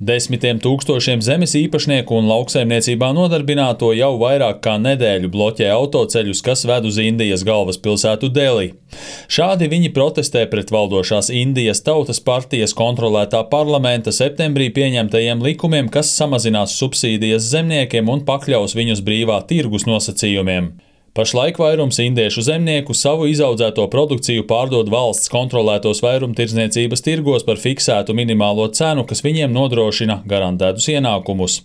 Desmitiem tūkstošiem zemes īpašnieku un lauksaimniecībā nodarbināto jau vairāk kā nedēļu bloķē autoceļus, kas ved uz Indijas galvaspilsētu Delī. Šādi viņi protestē pret valdošās Indijas Tautas partijas kontrolētā parlamenta septembrī pieņemtajiem likumiem, kas samazinās subsīdijas zemniekiem un pakļaus viņus brīvā tirgus nosacījumiem. Pašlaik vairums indiešu zemnieku savu izaudzēto produkciju pārdod valsts kontrolētos vairumtirdzniecības tirgos par fiksētu minimālo cenu, kas viņiem nodrošina garantētus ienākumus.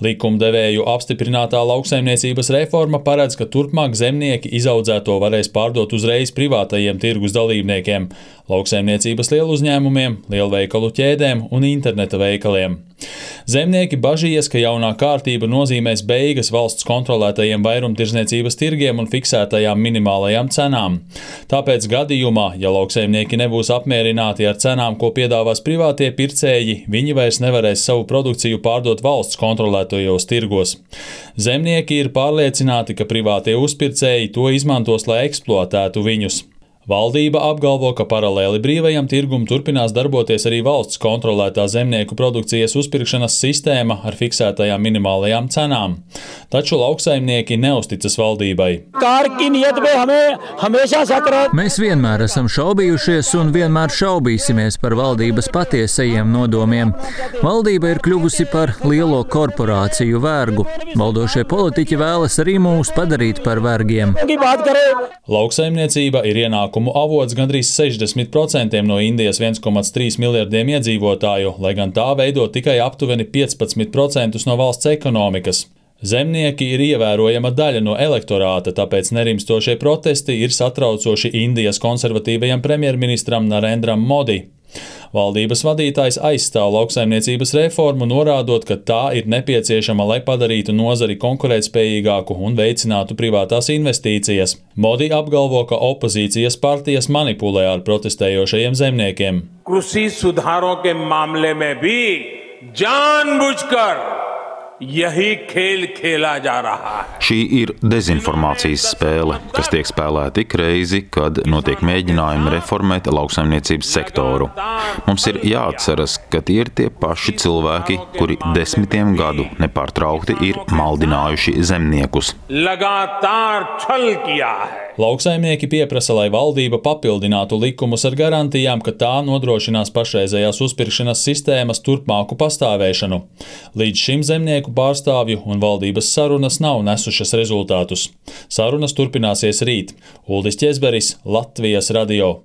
Likumdevēju apstiprinātā lauksaimniecības reforma paredz, ka turpmāk zemnieki izaudzēto varēs pārdot uzreiz privātajiem tirgus dalībniekiem – lauksaimniecības lieluzņēmumiem, lielveikalu ķēdēm un interneta veikaliem. Zemnieki bažījies, ka jaunā kārtība nozīmēs beigas valsts kontrolētajiem vairumtirdzniecības tirgiem un fiksētajām minimālajām cenām. Tāpēc gadījumā, ja lauksaimnieki nebūs apmierināti ar cenām, ko piedāvās privātie pircēji, viņi vairs nevarēs savu produkciju pārdot valsts kontrolētajos tirgos. Zemnieki ir pārliecināti, ka privātie uzpircēji to izmantos, lai eksploatētu viņus. Valdība apgalvo, ka paralēli brīvajam tirgum turpinās darboties arī valsts kontrolētā zemnieku produkcijas uzpirkšanas sistēma ar fiksētajām minimālajām cenām. Taču lauksaimnieki neusticas valdībai. Mēs vienmēr esam šaubījušies un vienmēr šaubīsimies par valdības patiesajiem nodomiem. Valdība ir kļuvusi par lielo korporāciju vergu. Valdošie politiķi vēlas arī mūs padarīt par vergiem. Lauksaimniecība ir ienākuma avots gandrīz 60% no Indijas 1,3 miljardiem iedzīvotāju, lai gan tā veido tikai aptuveni 15% no valsts ekonomikas. Zemnieki ir ievērojama daļa no elektorāta, tāpēc nerimstošie protesti ir satraucoši Indijas konservatīvajam premjerministram Narendram Modi. Valdības vadītājs aizstāv lauksaimniecības reformu, norādot, ka tā ir nepieciešama, lai padarītu nozari konkurētspējīgāku un veicinātu privātās investīcijas. Modi apgalvo, ka opozīcijas partijas manipulē ar protestējošajiem zemniekiem. कृषि सुधारों के मामले में भी जानबूझकर यही खेल खेला जा रहा है. Šī ir dezinformācijas spēle, kas tiek spēlēta ik reizi, kad notiek mēģinājumi reformēt lauksaimniecības sektoru. Mums ir jāatceras, ka tie ir tie paši cilvēki, kuri desmitiem gadu nepārtraukti ir maldinājuši zemniekus. Lauksaimnieki pieprasa, lai valdība papildinātu likumus ar garantijām, ka tā nodrošinās pašreizējās uzpirkšanas sistēmas turpmāku pastāvēšanu. Līdz šim zemnieku pārstāvju un valdības sarunas nav nesušas rezultātus. Sarunas turpināsies rīt. Uldis Ķezberis, Latvijas radio.